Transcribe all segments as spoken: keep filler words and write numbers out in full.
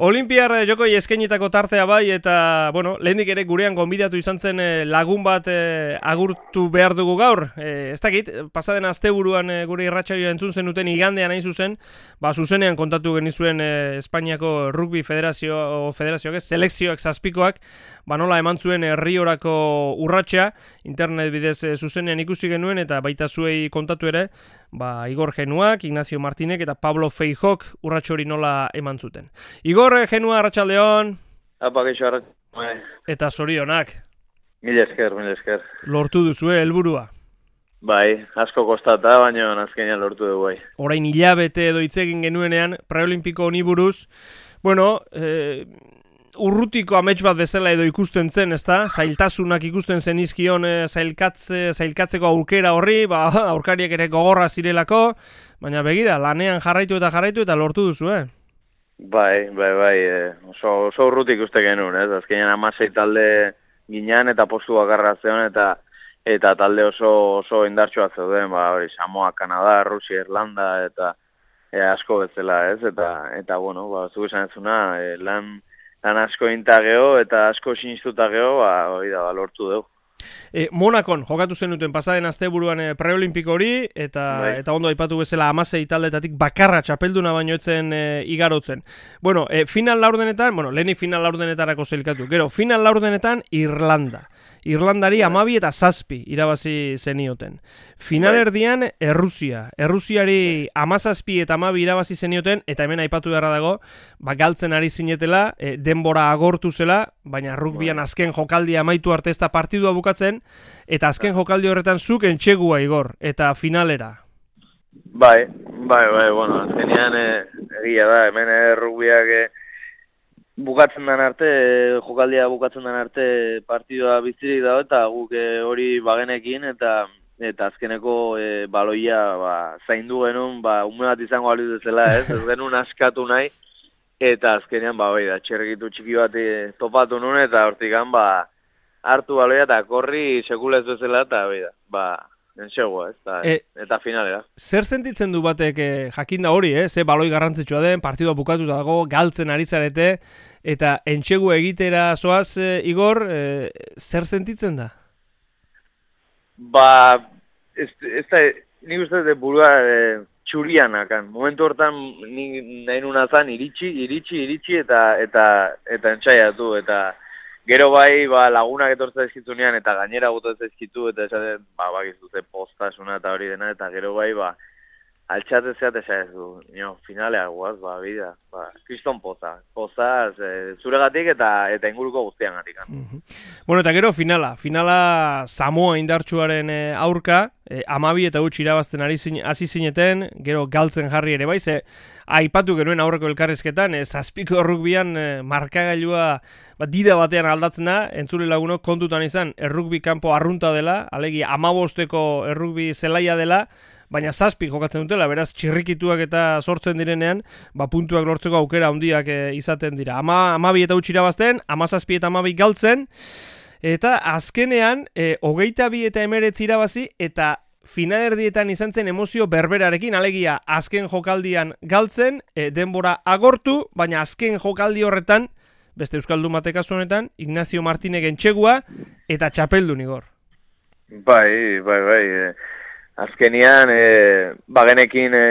Olimpiar jokoi eskainitako tartea bai, eta, bueno, lehendik ere gurean gonbidatu izan zen lagun bat e, agurtu behar dugu gaur. E, ez dakit, pasaden asteburuan e, gure irratsaioa entzun zenuten igandean hain zuzen, ba, zuzenean kontatu genizuen e, Espainiako Rugby Federazio, o Federazioak ez, selekzioak zazpikoak, ba nola eman zuen Riorako urratsa, internet bidez e, zuzenean ikusi genuen, eta baita zuei kontatu ere, ba, Igor Genuak, Ignacio Martinek eta Pablo Feijok urratxo hori nola eman zuten. Igor Genua, arratsaldeon. Apa, geixo, arratsaldeon. Eta zorionak. Mil esker, mil esker. Lortu duzue helburua. Bai, asko kostata, baina azkenean lortu dugu bai. Orain hilabete edo hitz egin genuenean, preolimpiko honi buruz, bueno, eh, urrutiko amets bat bezala edo ikusten zen, ezta? Zailtasunak ikusten zen izkion e, zailkatze, zailkatzeko aurkera horri, ba, aurkariak ere gogorra zirelako, baina begira, lanean jarraitu eta jarraitu eta lortu duzu, eh? Bai, bai, bai, e, oso, oso urrutik uste genuen, ez? Azkenean amasei talde ginean eta postu bakarra zeon eta eta talde oso oso indartsua zeuden, ba, hori, Samoa, Kanada, Rusia, Irlanda eta e, asko bezala, ez? Eta, eta bueno, ba, zu esan ezuna, e, lan... Lan asko intageo eta asko sinistuta geo, ba, hori da, ba, lortu dugu. E, Monakon jokatu zenuten pasaden asteburuan e, preolimpiko hori, eta bai. Eta ondo aipatu bezala hamasei taldetatik bakarra txapelduna baino etzen e, igarotzen. Bueno, e, final laurdenetan, bueno, lehenik final laurdenetarako zelkatu, gero, final laurdenetan Irlanda. Irlandari amabi eta zazpi irabazi zenioten. Final erdian Errusia. Errusiari amazazpi eta amabi irabazi zenioten, eta hemen aipatu beharra dago, ba, galtzen ari zinetela, e, denbora agortu zela, baina rugbian azken jokaldia amaitu arte ez da partidua bukatzen, eta azken jokaldi horretan zuk entxegua Igor, eta finalera. Bai, bai, bai, bueno, azkenean e, egia da, hemen e, rugbiak... E, bukatzen den arte, jokaldia bukatzen den arte partidua bizirik dago eta guk hori bagenekin eta eta azkeneko e, baloia ba, zaindu genuen, ba, ume bat izango aliz dezela, ez? Ez genuen askatu nahi eta azkenean, ba, bai da, txerrikitu txiki bat topatu nuen eta hortikan, ba, hartu baloia eta korri sekulez bezala eta, bai da, ba, entxegua, ez? Eta, e, eta finalera. Zer sentitzen du batek e, jakinda hori, eh? Ze baloi garrantzitsua den, partidua bukatuta dago, galtzen ari zarete, eta entxegu egitera zoaz, e, Igor, e, zer sentitzen da? Ba, ez, ez da, nik uste dut burua e, txurianakan. Momentu hortan nik nahi nuna zan iritsi, iritsi, iritsi eta eta eta entxaiatu, eta gero bai, ba, lagunak etortza ezkitunean eta gainera gutu ezkitu eta esaten, ba, bakizute postasuna eta hori dena, eta gero bai, ba, altxate zeat ez du, nio, finalea guaz, ba, bida, ba, kriston poza, pozaz, e, zuregatik eta eta inguruko guztian gatik. Mm-hmm. Bueno, eta gero finala, finala Samoa indartsuaren e, aurka, e, amabi eta huts irabazten ari zin, hasi zineten, gero galtzen jarri ere bai, ze aipatu genuen aurreko elkarrizketan, e, zazpiko errugbian e, markagailua ba, dida batean aldatzen da, entzule lagunok kontutan izan, errugbi kanpo arrunta dela, alegia amabosteko errugbi zelaia dela, baina zazpi jokatzen dutela, beraz txirrikituak eta sortzen direnean, ba, puntuak lortzeko aukera handiak e, izaten dira. Ama, amabi eta huts irabazten, amazazpi eta amabi galtzen, eta azkenean, e, hogeita bi eta emeretzi irabazi, eta finalerdietan izan zen emozio berberarekin, alegia azken jokaldian galtzen, e, denbora agortu, baina azken jokaldi horretan, beste euskaldun batek kasu honetan, Ignacio Martinek entxegua, eta txapeldun Igor. Bai, bai, bai, e... Azkenian, e, bagenekin e,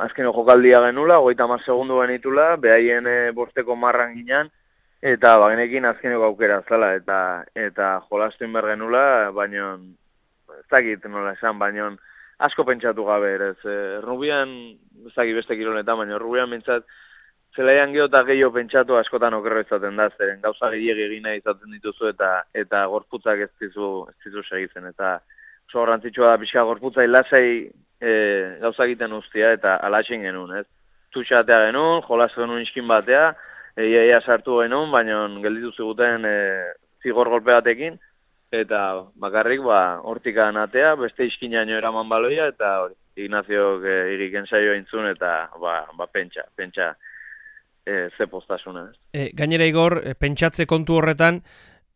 azkeno jokaldia genula, hogeita hamar segundu genitula, behaien e, bosteko marran ginean, eta bagenekin azkeneko aukera zela, eta eta jolastu inber genula, baina ez dakit nola esan, baina asko pentsatu gabe, ez. E, Rubian, ez dakit beste kilonetan, baina Rubian bintzat, zelaian geho eta gehiago pentsatu askotan okerro izaten da, zeren gauza gehiago egina izaten dituzu, eta eta gorputzak ez dizu, ez dizu segitzen, eta oso garrantzitsua da pixka gorputza lasai e, gauza egiten ustia eta alaxen genuen, ez? Tutxatea genuen, jolas genuen iskin batea, eia eia sartu genuen, baina gelditu ziguten e, zigor golpe batekin, eta bakarrik ba, hortikan atea, beste iskinaino eraman baloia, eta hori, Ignaziok e, iriken saio entzun, eta ba, ba pentsa, pentsa e, ze postasuna, ez? E, gainera Igor, e, pentsatze kontu horretan,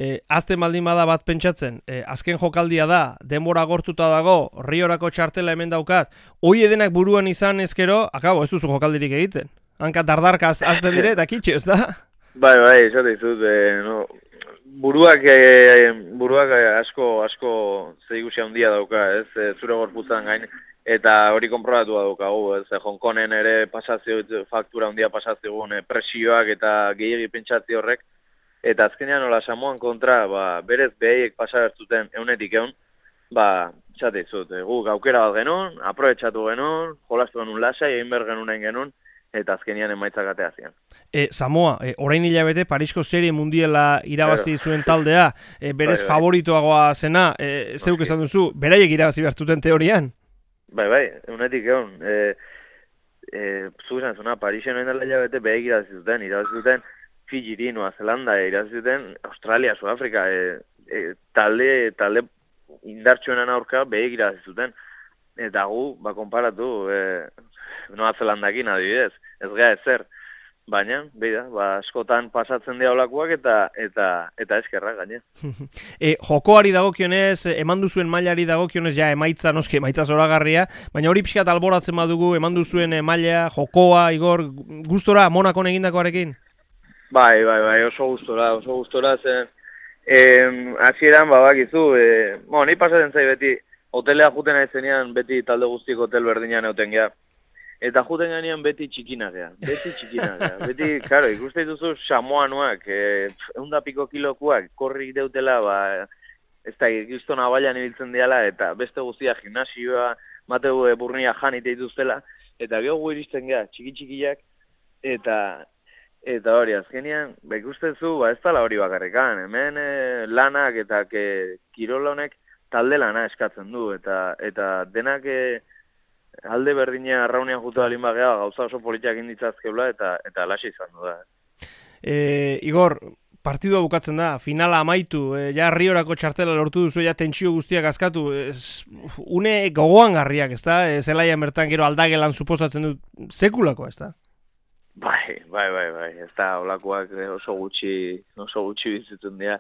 E, azten baldin bada bat pentsatzen, e, azken jokaldia da, denbora agortuta dago, Riorako txartela hemen daukat, hoi edenak buruan izan ezkero, akabo, ez duzu jokaldirik egiten. hanka dardarka azten dire, eta kitxo, ez da? Bai, bai, esate izut, e, no, buruak, e, buruak asko, asko zeigusia handia dauka, ez, e, zure gorputzan gain, eta hori konprobatu daukagu, ez, Hongkongen ere pasazio, faktura handia pasaziogun, e, presioak eta gehiagi pentsatzi horrek, eta azkenean nola Samoan kontra, ba, berez behaiek pasabertzuten eunetik egun, ba, txate izut, e, guk aukera bat genuen, aprobetxatu genuen, jolastu genuen lasai, egin behar genuen genuen, eta azkenian emaitzak atea zian. E, Samoa, e, orain hilabete Parisko serie mundiala irabazi zuen taldea, e, berez bai, bai. favoritoagoa zena, e, zeuk esan duzu, beraiek irabazi behartuten teorian? Bai, bai, unetik egon. E, e, Zu esan zuna, Parisen orain dela hilabete behek irabazi zuten, irabazi zuten Fiji, Noa Zelanda, e, irabazi zuten Australia, Sudafrika, e, e, talde, talde indartsuenan aurka behek irabazi zuten. Eta gu, ba, konparatu, e, Noa Zelandakin adibidez, ez gea ezer, baina, beida, ba, askotan pasatzen dira olakoak eta eta eta eskerrak gaine. e, jokoari dagokionez, eman duzuen mailari dagokionez, ja emaitza, noski emaitza zoragarria, baina hori pixkat alboratzen badugu, eman duzuen maila, jokoa, Igor, gustora, Monakon egindakoarekin? Bai, bai, bai, oso gustora, oso gustora zen, eh, hasieran babakizu, eh, bueno, ni pasatzen zai beti, hotelea juten aizenean beti talde guztiek hotel berdinean euten geha. Eta juten ganean beti txikinak geha, beti txikinak geha. Beti, karo, ikuste dituzu Samoanoak, e, eunda piko kilokuak, korrik deutela, ba, ez da, giztona bailan ibiltzen diala, eta beste guztia gimnasioa, mateu e, burnia jan ite dituztela, eta geho gu iristen geha, txiki-txikiak, eta eta hori, azkenean, ba, ikustezu, ba, ez dala hori bakarrekan, hemen e, lanak eta ke, kirol honek talde lana eskatzen du, eta eta denak e, alde berdina arraunean jutu alin bagea, gauza oso politiak inditzazkeula, eta eta alaxe izan du da. E, Igor, partidua bukatzen da, finala amaitu, e, ja Riorako txartela lortu duzu, ja tentsio guztiak askatu, ez, une gogoan garriak, ez da? E, zelaian bertan gero aldagelan suposatzen dut, sekulako, ez da? Bai, bai, bai, bai, ez da, olakoak oso gutxi, oso gutxi bizitzen dira.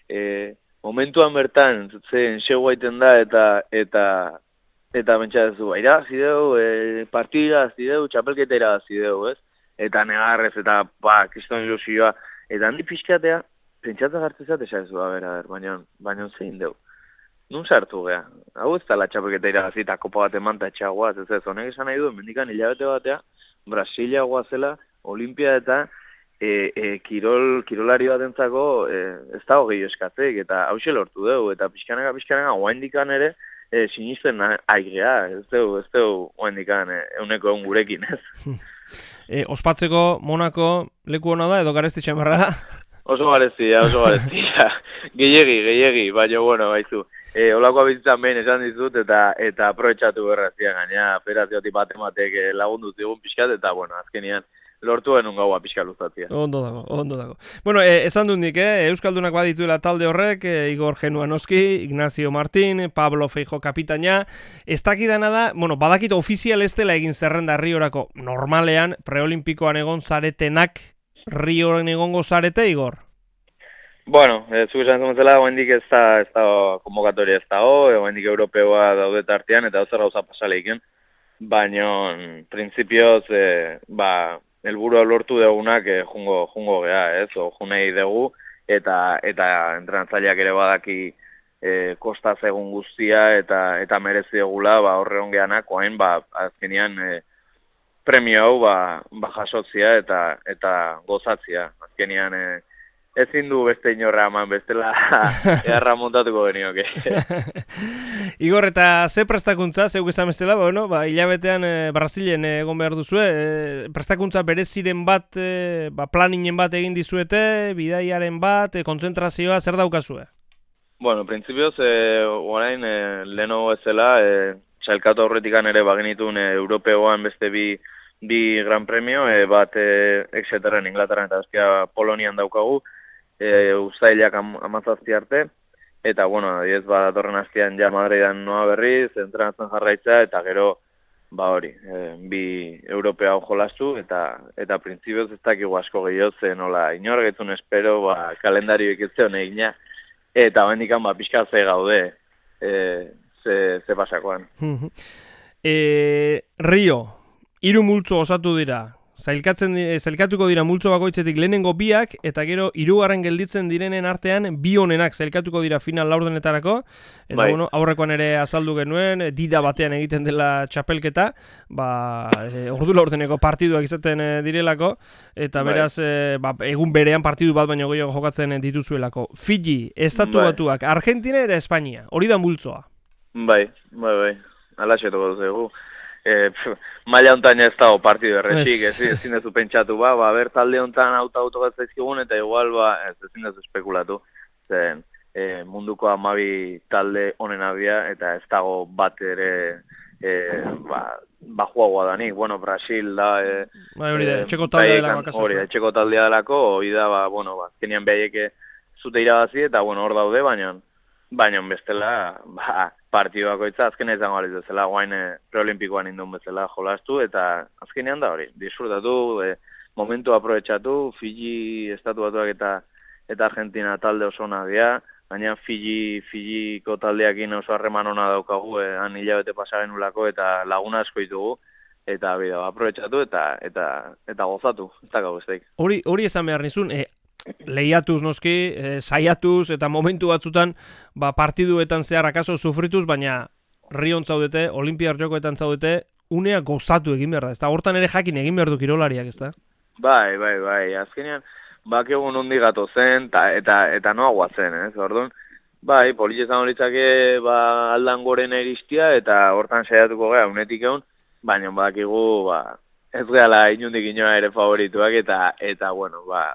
E, momentuan bertan, zen, segu aiten da, eta, eta, eta bentsatzen du, irabazi deu, e, partida irabazi txapelketa irabazi deu, ez? Eta negarrez, eta, ba, kriston ilusioa, eta handi pixkatea, pentsatzen gartzezat esan zu, a ber, a ber, baina, baina zein deu. Nun sartu geha, hau ez da la txapelketa irabazi, eta kopa bat eman tatxagoaz, ez ez, honek esan nahi du, mendikan hilabete batea, Brasilia guazela, Olimpia eta e, e, kirol, kirolari bat entzako e, ez da hogei eskatzek, eta hause lortu dugu, eta pixkanaka, pixkanaka, oaindikan ere, e, sinisten aigea, ez dugu, ez dugu oaindikan e, euneko egun gurekin, ez. E, ospatzeko Monako leku hona da, edo garesti txamarra? Oso gareztia, oso gareztia. Gehiegi, gehiegi, baina, bueno, baizu. E, olakoa bizitzan behin esan dizut, eta eta aprobetxatu berrazia gaina, operaziotik batematek lagundu zigun pixkat, eta, bueno, azkenian, lortu genuen gaua pixka luzatzia. Ondo dago, ondo dago. Bueno, e, esan dut nik, eh? Euskaldunak badituela talde horrek, e, Igor Genuanoski, Ignacio Martín, Pablo Feijo kapitaina. Ez dakidana da, bueno, badakit ofizial ez dela egin zerrenda Riorako normalean, preolimpikoan egon zaretenak Rioren egongo zarete, Igor? Bueno, e, zu esan zumetzela, oendik ez da, ez da konvokatoria ez da ho, oendik europeoa daude tartean, eta ozer gauza pasaleiken, baina, printzipioz, e, ba, helburua lortu degunak e, jungo, jungo geha, ez, o junei dugu, eta eta entrenatzaileak ere badaki e, kostaz egun guztia, eta eta merezi dugula, ba, horre hongeanak, oain, ba, azkenean, e, premio hau, ba, ba jasotzia, eta, eta gozatzia, azkenean, e, ezin du beste inorra eman, bestela eharra montatuko genioke. Igor, eta ze prestakuntza, zeuk esan bestela, bueno, ba, hilabetean e, Brasilen egon behar duzue, e, prestakuntza bereziren bat, e, ba, planinen bat egin dizuete, bidaiaren bat, e, kontzentrazioa, zer daukazue? Bueno, printzipioz, e, orain, e, leheno ezela, e, txailkatu aurretikan ere bagenitun e, europeoan beste bi, bi gran premio, e, bat e, Exeterren, Inglaterran eta bestia Polonian daukagu, E, ustailak am, amazazti arte, eta, bueno, adiez, ba, datorren hastian ja Madridan noa berriz, entrenatzen jarraitza, eta gero, ba hori, e, bi europea jolastu, eta eta printzipioz ez dakigu asko gehiago, nola, inorgetzun espero, ba, kalendari bekitzeon egina, eta bendikan, ba, pixka ze gaude, e, ze, ze pasakoan. e, Rio, hiru multzo osatu dira, zailkatzen zailkatuko dira multzo bakoitzetik lehenengo biak eta gero hirugarren gelditzen direnen artean bi honenak zailkatuko dira final laurdenetarako. Eta bai. bueno, aurrekoan ere azaldu genuen, dida batean egiten dela txapelketa, ba, e, ordu laurdeneko partiduak izaten e, direlako, eta Bai. beraz, e, ba, egun berean partidu bat baino gehiago jokatzen dituzuelako. Fiji, Estatu Bai. Batuak, Argentina eta Espainia, hori da multzoa. Bai, bai, bai, alaxetuko dugu. E, maila hontan ez dago partidu erretxik, ez, ezin dezu pentsatu, ba, ba, ber talde hontan auto autogatzaizkigun, eta igual, ba, ez ezin dezu espekulatu, zen e, munduko hamabi talde honen abia, eta ez dago bat ere, e, ba, bajuagoa danik, bueno, Brasil da, e, Bai, hori da, e, etxeko taldea baiekan- delako, kasu. hori da, etxeko taldea delako, hori da, ba, bueno, ba, azkenean behaieke zute irabazi, eta, bueno, hor daude, baina, baina bestela, ba, partidu bakoitza azkena izango aliz bezala, guain e, preolimpikoan indun bezala jolastu, eta azkenean da hori, disfrutatu, e, momentu aprobetxatu, Fiji, Estatu Batuak eta eta Argentina talde oso ona dira, baina Fiji, Fijiko taldeakin oso harreman ona daukagu, e, han hilabete pasa genulako eta laguna asko ditugu, eta bida, aprobetxatu eta eta eta gozatu, ez dakau besteik. Hori, hori esan behar nizun, e, lehiatuz noski, e, saiatuz eta momentu batzutan ba, partiduetan zehar akaso sufrituz, baina Rion zaudete, Olimpiar Jokoetan zaudete, unea gozatu egin behar da, ez da, hortan ere jakin egin behar du kirolariak, ez da? Bai, bai, bai, azkenean, bak egun hundi gato zen, ta, eta, eta noa guatzen, ez, orduan, bai, politxe izango litzake, ba, aldan gorena iristia, eta hortan saiatuko gara, unetik egun, baina bakigu, ba, ez gehala inundik inoa ere favorituak, eta, eta bueno, ba,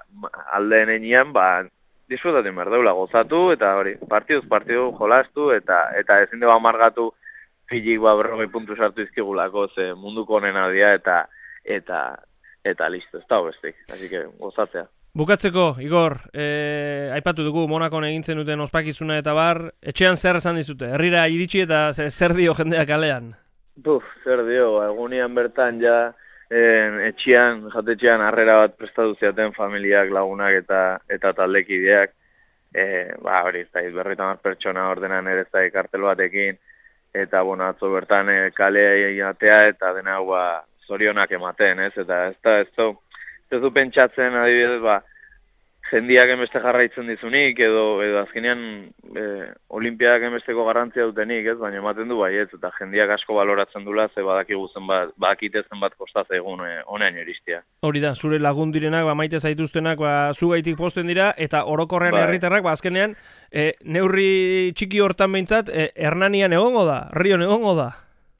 aldeen enean, ba, disfrutatzen behar deula, gozatu, eta hori, partiduz partidu jolastu, eta, eta ezin dugu amargatu Fijik, ba, berrogei puntu sartu izkigulako, ze munduko honena dira, eta, eta, eta listo, ez da bestik, así que gozatzea. Bukatzeko, Igor, e, aipatu dugu Monakon egintzen duten ospakizuna eta bar, etxean zer esan dizute, herrira iritsi eta zer dio jendeak kalean? Buf, zer dio, egunian bertan ja, en, etxean, jatetxean harrera bat prestatu ziaten familiak, lagunak eta eta taldekideak, e, ba, hori, ez da, berrita mar pertsona ordenan ere ez da, kartel batekin, eta, bueno, atzo bertan e, kalea atea eta dena, ba, zorionak ematen, ez, eta ez da, ez da, ez du pentsatzen, adibidez, ba, jendiak enbeste jarraitzen dizunik, edo, edo azkenean e, olimpiadak enbesteko garrantzia dutenik, ez, baina ematen du baietz, eta jendiak asko baloratzen dula, ze badakigu zenbat, badakite zenbat kostaz egun e, honean iristia. Hori da, zure lagun direnak, ba, maite zaituztenak, ba, zugaitik posten dira, eta orokorrean Bai. herritarrak, ba, azkenean, e, neurri txiki hortan behintzat, e, Hernanian egongo da, Rion egongo da.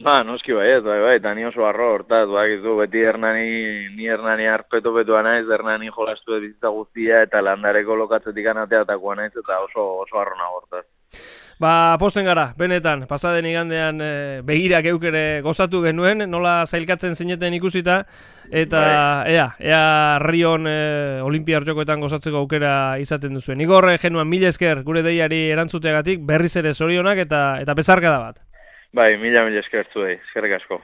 Ba, noski baiet, bai, bai, eta ni oso arro hortaz, bakizu, beti Hernani, ni Hernani arpeto betua naiz, Hernani jolastu ez bizitza guztia, eta landareko lokatzetik anateatakoa naiz, eta oso, oso arro nago hortaz. Ba, posten gara, benetan, pasaden igandean e, begirak eukere gozatu genuen, nola zailkatzen zineten ikusita, eta Bai. ea, ea Rion e, Olimpiar Jokoetan gozatzeko aukera izaten duzuen. Igor, e, genuan, mila esker gure deiari erantzuteagatik, berriz ere zorionak eta eta bezarkada bat. Bai, mila mila eskertzu, eskerrik asko.